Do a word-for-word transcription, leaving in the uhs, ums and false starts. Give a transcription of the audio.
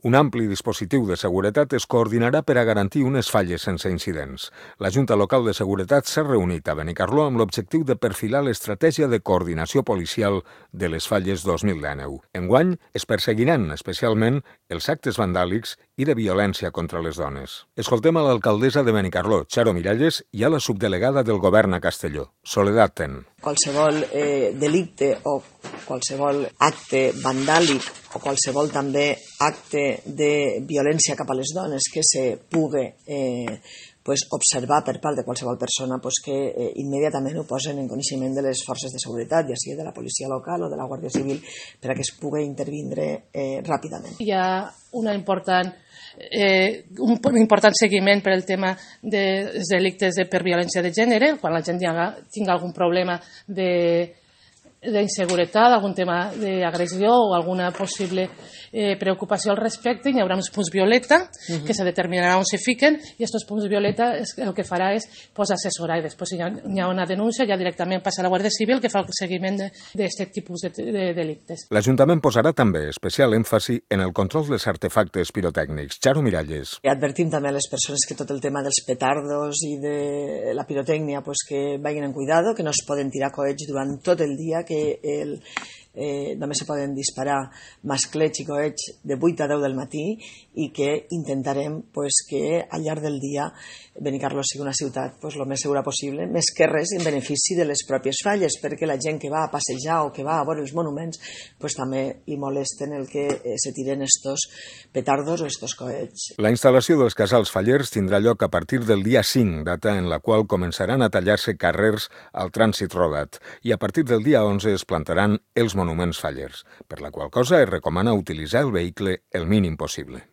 Un ampli dispositiu de seguretat es coordinarà per a garantir unes falles sense incidents. La Junta Local de Seguretat s'ha reunit a Benicarló amb l'objectiu de perfilar l'estratègia de coordinació policial de les falles dos mil dinou. Enguany es perseguiran especialment els actes vandàlics i de violència contra les dones. Escoltem a l'alcaldessa de Benicarló, Charo Miralles, i a la subdelegada del govern a Castelló, Soledad Ten. Qualsevol eh, delicte o qualsevol acte vandàlic o qualsevol també acte de violència cap a les dones que se pugui eh, pues, observar per part de qualsevol persona pues, que eh, immediatament ho posen en coneixement de les forces de seguretat, ja sigui de la policia local o de la Guàrdia Civil, per a que es pugui intervindre eh, ràpidament. Hi ha una important, eh, un important seguiment per al tema dels delictes de, per violència de gènere, quan la gent tingui algun problema de d'inseguretat, algun tema d'agressió o alguna possible eh, preocupació al respecte, hi haurà uns punts violeta uh-huh. que se determinarà on se fiquen i aquests punts violeta es, el que farà és pues, assessorar i després si hi ha, hi ha una denúncia ja directament passa a la Guàrdia Civil que fa el seguiment d'aquest tipus de, de delictes. L'Ajuntament posarà també especial èmfasi en el control dels artefactes pirotècnics. Charo Miralles. I advertim també a les persones que tot el tema dels petardos i de la pirotècnia pues, que vagin en cuidado, que no es poden tirar coets durant tot el dia, que el, eh, només se poden disparar masclets i coets de vuit a deu del matí i que intentarem pues, que al llarg del dia Benicarló sigui una ciutat pues, el més segura possible, més que res en benefici de les pròpies falles, perquè la gent que va a passejar o que va a veure els monuments pues, també li molesten el que eh, se tiren estos petardos o estos coets. La instal·lació dels casals fallers tindrà lloc a partir del dia cinc, data en la qual començaran a tallar-se carrers al trànsit rodat, i a partir del dia onze es plantaran els monuments fallers, per la qual cosa es recomana utilitzar el vehicle el mínim possible.